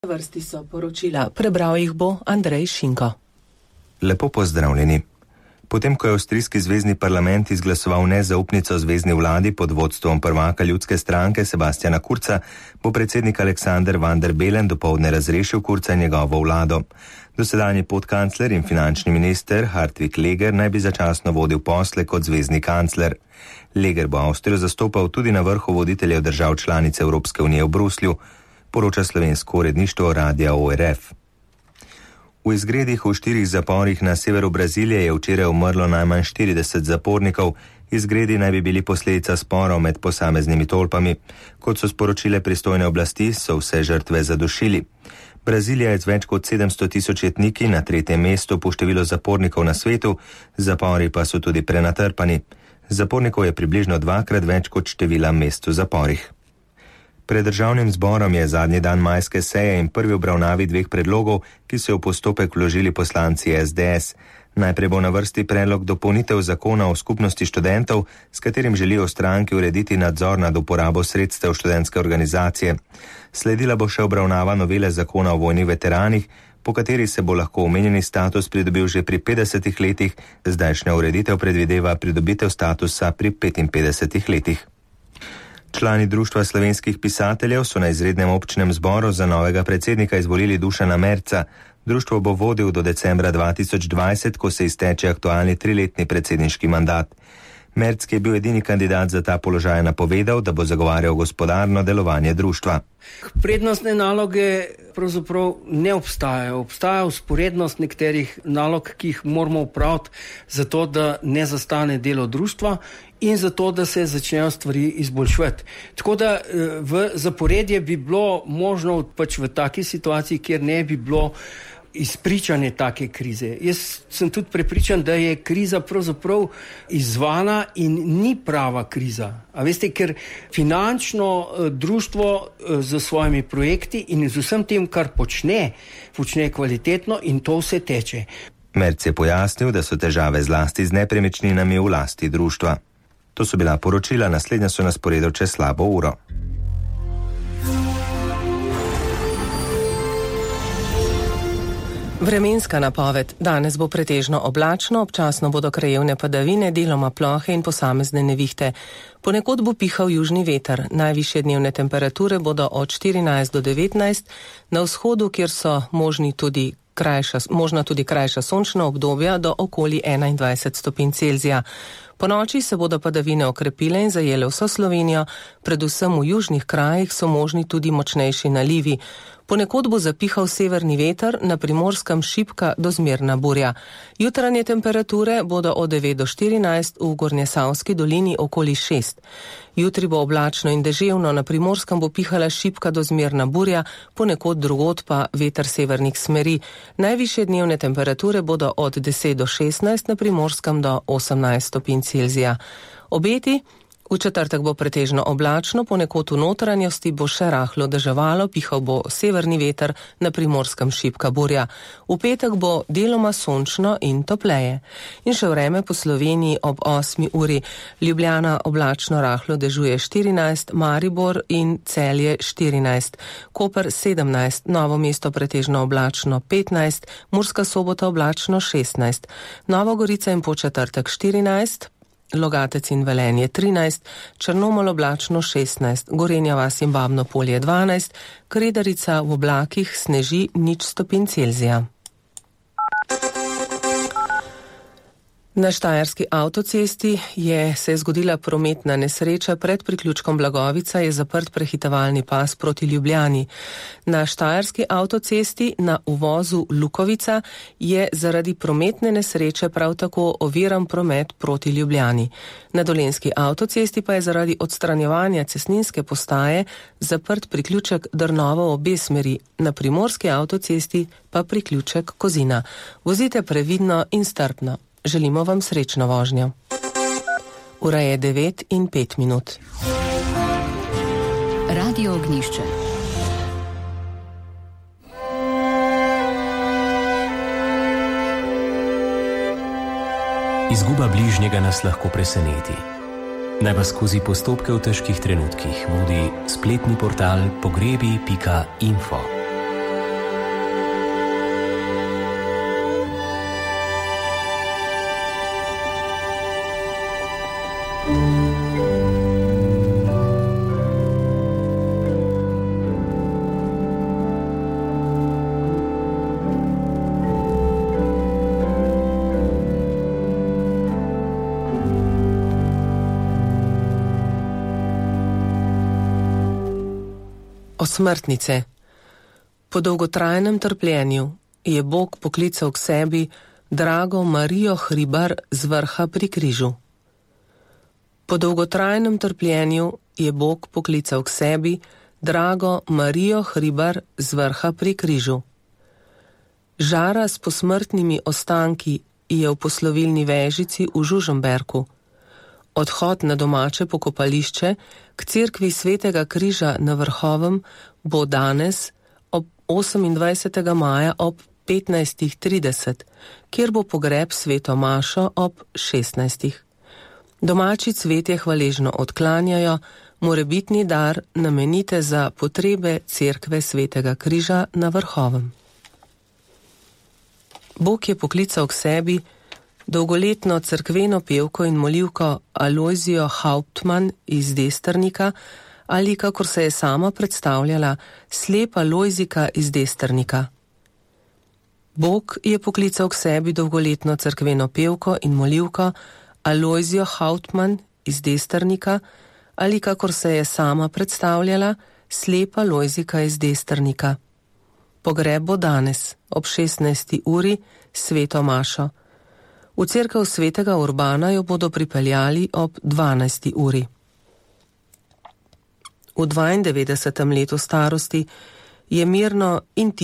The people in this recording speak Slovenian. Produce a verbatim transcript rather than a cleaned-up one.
Vrsti so poročila, prebral jih bo Andrej Šinko. Lepo pozdravljeni. Potem, ko je avstrijski zvezni parlament izglasoval nezaupnico zvezni vladi pod vodstvom prvaka ljudske stranke Sebastiana Kurza, bo predsednik Alexander Van der Bellen dopoldne razrešil Kurza in njegovo vlado. Dosedanji podkancler in finančni minister Hartwig Leger naj bi začasno vodil posle kot zvezni kancler. Leger bo Avstrijo zastopal tudi na vrhu voditeljev držav članice Evropske unije v Bruslju, poroča slovensko uredništvo radia O R F. V izgredih v štirih zaporih na severu Brazilije je včeraj umrlo najmanj štirideset zapornikov. Izgredi naj bi bili posledica sporov med posameznimi tolpami. Kot so sporočile pristojne oblasti, so vse žrtve zadušili. Brazilija je z več kot sedemsto tisoč etniki na tretjem mestu po številu zapornikov na svetu, zapori pa so tudi prenatrpani. Zapornikov je približno dvakrat več kot števila mest v zaporih. Pred državnim zborom je zadnji dan majske seje in prvi obravnavi dveh predlogov, ki so v postopek vložili poslanci S D S. Najprej bo na vrsti predlog dopolnitev zakona o skupnosti študentov, s katerim želijo stranki urediti nadzor nad uporabo sredstev študentske organizacije. Sledila bo še obravnava novele zakona o vojnih veteranih, po kateri se bo lahko omenjeni status pridobil že pri petdesetih letih, zdajšnja ureditev predvideva pridobitev statusa pri petinpetdesetih letih. Člani Društva slovenskih pisateljev so na izrednem občnem zboru za novega predsednika izvolili Dušana Merca. Društvo bo vodil do decembra dva tisoč dvajset, ko se izteče aktualni triletni predsedniški mandat. Merc, ki je bil edini kandidat za ta položaj, napovedal, da bo zagovarjal gospodarno delovanje društva. Prednostne naloge pravzaprav ne obstajajo. Obstaja vzporednost nekaterih nalog, ki jih moramo opraviti zato, da ne zastane delo društva in zato, da se začnejo stvari izboljševati. Tako da v zaporedje bi bilo možno pač v taki situaciji, kjer ne bi bilo izpričane take krize. Jaz sem tudi prepričan, da je kriza pravzaprav izzvana in ni prava kriza. A veste, ker finančno društvo z svojimi projekti in z vsem tem, kar počne, počne kvalitetno in to vse teče. Merc je pojasnil, da so težave zlasti z nepremičninami v lasti društva. To so bila poročila, naslednja so na sporedu čez slabo uro. Vremenska napoved. Danes bo pretežno oblačno, občasno bodo krajevne padavine, deloma plohe in posamezne nevihte. Ponekod bo pihal južni veter. Najvišje dnevne temperature bodo od štirinajst do devetnajst, na vzhodu, kjer so možni tudi krajša, možna tudi krajša sončna obdobja, do okoli enaindvajset stopinj Celzija. Po noči se bodo padavine okrepile in zajele vso Slovenijo, predvsem v južnih krajih so možni tudi močnejši nalivi. Ponekod bo zapihal severni veter, na Primorskem šibka do zmerna burja. Jutranje temperature bodo od devet do štirinajst, v Gornjesavski dolini okoli šest. Jutri bo oblačno in deževno, na Primorskem bo pihala šibka do zmerna burja, ponekod drugod pa veter severnih smeri. Najvišje dnevne temperature bodo od deset do šestnajst, na Primorskem do osemnajst stopinj Celzija. Obeti. V četrtek bo pretežno oblačno, ponekod v notranjosti bo še rahlo deževalo, pihal bo severni veter, na Primorskem šibka burja. V petek bo deloma sončno in topleje. In še vreme po Sloveniji ob osmi uri. Ljubljana oblačno rahlo dežuje štirinajst, Maribor in Celje štirinajst, Koper sedemnajst, Novo mesto pretežno oblačno petnajst, Murska Sobota oblačno šestnajst, Nova Gorica in Podčetrtek štirinajst, Logatec in Velenje trinajst, Črnomelj oblačno šestnajst, Gorenja vas in Babno Polje dvanajst, Kredarica v oblakih sneži nič stopinj Celzija. Na štajerski avtocesti je se je zgodila prometna nesreča. Pred priključkom Blagovica je zaprt prehitevalni pas proti Ljubljani. Na štajerski avtocesti na uvozu Lukovica je zaradi prometne nesreče prav tako oviran promet proti Ljubljani. Na dolenjski avtocesti pa je zaradi odstranjevanja cestninske postaje zaprt priključek Drnovo obe smeri. Na primorski avtocesti pa priključek Kozina. Vozite previdno in strpno. Želimo vam srečno vožnjo. Ura je devet in pet minut. Radio Ognjišče. Izguba bližnjega nas lahko preseneti. Naj vas skozi postopke v težkih trenutkih vodi spletni portal pogrebi pika info. Osmrtnice. Po dolgotrajnem trpljenju je Bog poklical k sebi drago Marijo Hribar z vrha pri križu. Po dolgotrajnem trpljenju je Bog poklical k sebi drago Marijo Hribar z vrha pri križu. Žara s posmrtnimi ostanki je v poslovilni vežici v Žužemberku. Odhod na domače pokopališče k cerkvi Svetega križa na Vrhovem bo danes ob osemindvajsetega maja ob petnajstih trideset, kjer bo pogreb sveto mašo ob šestnajstih. Domači cvetje hvaležno odklanjajo, morebitni dar namenite za potrebe cerkve Svetega križa na Vrhovem. Bog je poklical k sebi dolgoletno cerkveno pevko in molivko Alojzijo Hauptmann iz Desternika ali, kakor se je sama predstavljala, slepa Lojzika iz Desternika. Bog je poklical k sebi dolgoletno cerkveno pevko in molivko Alojzijo Hauptmann iz Desternika ali, kakor se je sama predstavljala, slepa Lojzika iz Desternika. Pogreb bo danes ob šestnajsti uri sveto mašo. V cerkev Svetega Urbana jo bodo pripeljali ob dvanajsti uri. V dvaindevetdesetem letu starosti je mirno in